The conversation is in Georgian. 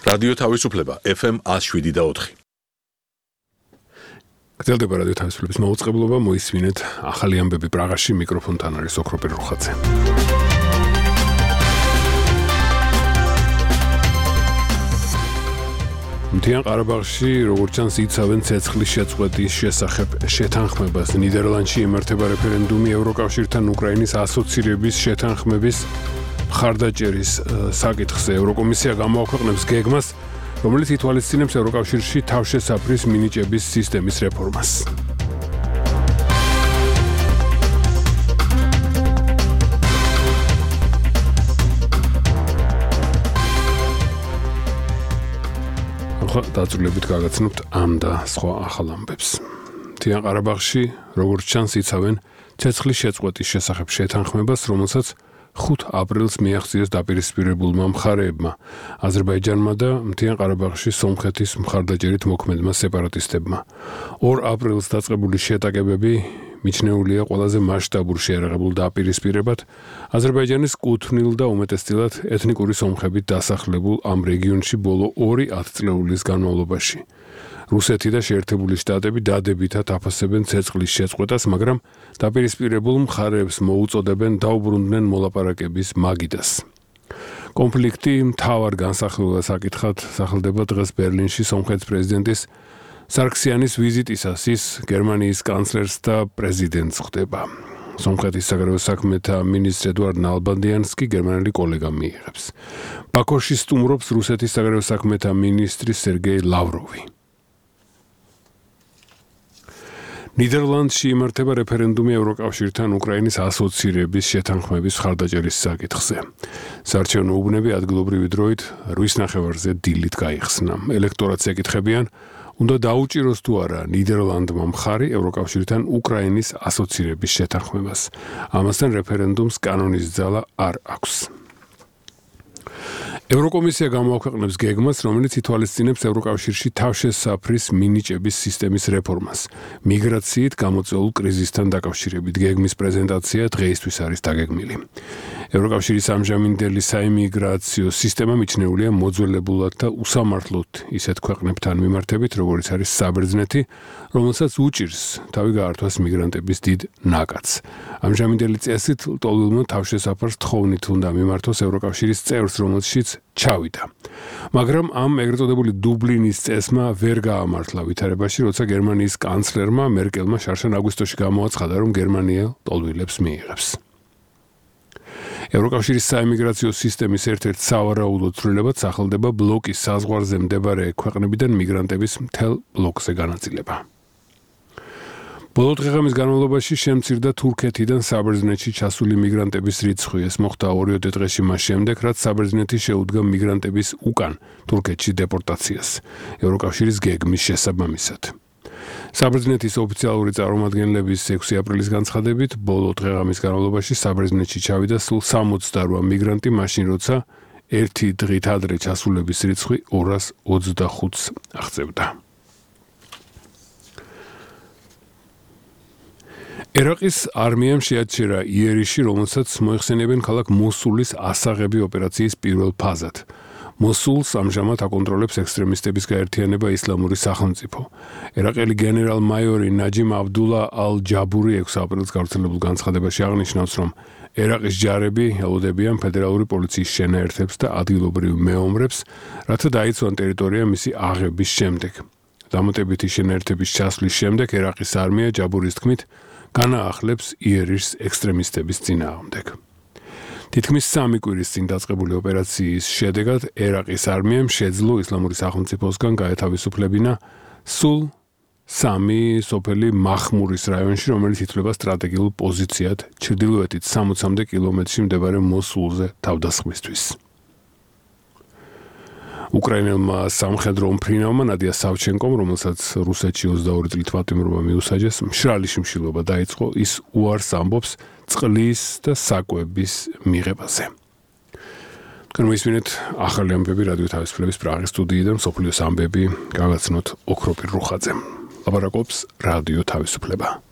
რადიო თავისუფლება FM 107.4. გრძელდება რადიო თავისუფლების მოუწყებლობა, მოისმინეთ ახალი ამბები პრაღაში, მიკროფონთან არის ოქროპირ რუხაძე. მთიან ყარაბაღში, როგორც ჩანს, იცავენ ცეცხლის შეწყვეტის შესახებ შეთანხმებას. ნიდერლანდში იმართება რეფერენდუმი ევროკავშირთან უკრაინის ასოცირების შეთანხმების მხარდაჭერის საკითხზე. ევროკომისია გამოაქვეყნებს გეგმას, რომელიც ითვალისწინებს ევროკავშირში თავშესაფრის მინიჭების სისტემის რეფორმას. დაწვრილებით გაგაცნობთ ამ და სხვა ახალ ამბებს. მთიან ყარაბაღში, როგორც ჩანს, იცავენ ცეცხლის შეწყვეტის შესახებ შეთანხმებას, რომელსაც 5 აპრილს მიაღწიეს დაპირისპირებულმა მხარეებმა, აზერბაიჯანმა და მთიან ყარაბაღში სომხეთის მხარდაჭერით მოქმედმა სეპარატისტებმა. 2 აპრილს დაწყებული შეტაკებები მიჩნეულია ყველაზე მასშტაბურ შეერაღებულ დაპირისპირებად აზერბაიჯანის კუთვნილ და უმეტესწილად ეთნიკური სომხებით დასახლებულ ამ რეგიონში ბოლო 2 ათწლეულის განმავლობაში. რუსეთი და შეერთებული შტატები დადებითად აფასებენ ცეცხლის შეწყვეტას, მაგრამ დაპირისპირებულ მხარეებს მოუწოდებენ დაუბრუნდნენ მოლაპარაკების მაგიდას. კონფლიქტი მთავარ განსახილველად საკითხად სახელდება დღეს ბერლინში სომხეთის პრეზიდენტის სარქსიანის ვიზიტისას. ის გერმანიის კანცლერს და პრეზიდენტს ხვდება. სომხეთის საგარეო საქმეთა მინისტრ ედუარდ ნალბანდიანსკი გერმანელი კოლეგამ მიიღებს. ბაქოში სტუმრობს რუსეთის საგარეო საქმეთა მინისტრი სერგეი ლავროვი. ნიდერლანდში იმართება რეფერენდუმი ევროკავშირთან უკრაინის ასოცირების შეთანხმების მხარდაჭერის საკითხზე. საარჩევნო უბნები ადგილობრივი დროით 8:30-ზე დილით გაიხსნა. ელექტორატს ეკითხებიან, უნდა დაუჭიროს თუ არა ნიდერლანდმა მხარი ევროკავშირთან უკრაინის ასოცირების შეთანხმებას. ამასთან რეფერენდუმს კანონის ძალა არ აქვს. ევროკომისია გამოაქვეყნებს გეგმას, რომელიც ითვალისწინებს ევროკავშირში თავშესაფრის მინიჭების სისტემის რეფორმას. მიგრაციით გამოწვეულ კრიზისთან დაკავშირებით გეგმის პრეზენტაცია დღეისთვის არის დაგეგმილი. ევროკავშირის ამჟამინდელი საიმიგრაციო სისტემა მიჩნეულია მოძველებულად და უსამართლოდ ისეთ ქვეყნებთან მიმართებით, როგორც არის საბერძნეთი, რომელსაც უჭირს თავი გაართვას მიგრანტების დიდ ნაკადს. ამჟამინდელი წესით ლტოლვილმა თავშესაფარს თხოვნით უნდა მიმართოს ევროკავშირის წევრს, რომელშიც ჩავიდა. მაგრამ ამ ეგრეთ წოდებული დუბლინის წესმა ვერ გაამართლა ვითარებაში, როცა გერმანიის კანცლერმა მერკელმა შარშან აგვისტოში გამოაცხადა, რომ გერმანია ლტოლვილებს მიიღებს. ევროკავშირის საიმიგრაციო სისტემის ერთ-ერთ სავარაუდო ცვლილებად სახელდება ბლოკის საზღვარზე მდებარე ქვეყნებიდან მიგრანტების მთელ ბლოკზე განაწილება. ბოლო დღეღამის განმავლობაში შემცირდა თურქეთიდან საბერძნეთში ჩასული მიგრანტების რიცხვი. ეს მოხდა 2 დღეში მას შემდეგ, რაც საბერძნეთი შეუდგა მიგრანტების უკან თურქეთში დეპორტაციას ევროკავშირის გეგმის შესაბამისად. საბერძნეთის ოფიციალური წარმომადგენლების 6 აპრილის განცხადებით, ბოლო დღეღამის განმავლობაში საბერძნეთში ჩავიდა სულ 68 მიგრანტი, მაშინ როცა 1 დღით ადრე ჩასულების რიცხვი 225-ს აღწევდა. ერაყის არმიამ შეაჩერა იერიში, რომელსაც მოიხსენიებენ ქალაქ მოსულის ასაღები ოპერაციის პირველ ფაზად. მოსულს ამჟამად აკონტროლებს ექსტრემისტების გაერთიანება ისლამური სახელმწიფო. ერაყელი გენერალ-მაიორი ნაჯიმ აბდულა ალ-ჯაბური 6 აპრილს გავრცელებულ განცხადებაში აღნიშნავს, რომ ერაყის ჯარები ელოდებიან ფედერალური პოლიციის შენაერთებს და ადგილობრივ მეომრებს, რათა დაიცვან ტერიტორია მისი აღების შემდეგ. დამატებითი შენაერთების ჩასვლის შემდეგ ერაყის არმია ჯაბურის თქმით განაახლებს იერიშს ექსტრემისტების წინააღმდეგ. თითქმის 3 კვირის წინ დაწყებული ოპერაციის შედეგად ერაყის არმიამ შეძლო ისლამური სახელმწიფოსგან გაეთავისუფლებინა სულ 3 სოფელი მახმურის რაიონში, რომელიც ითვლება სტრატეგიულ პოზიციად ჩრდილოეთით 60 კილომეტრში მდებარე მოსულზე თავდასხმისთვის. უკრაინელმა სამხედრო უმფრინავმა ნადია სავჩენკომ, რომელსაც რუსეთში 22 წლით პატიმრობა მიუსაჯეს, მშრალი შიმშილობა დაიწყო, ის უარს ამბობს წყლის და საკვების მიღებაზე. Მოისმინეთ ახალი ამბები რადიო თავისუფლების პრაღის სტუდიიდან, მსოფლიოს ამბები გაგაცნოთ ოქროპირ რუხაძემ. ლაპარაკობს რადიო თავისუფლება.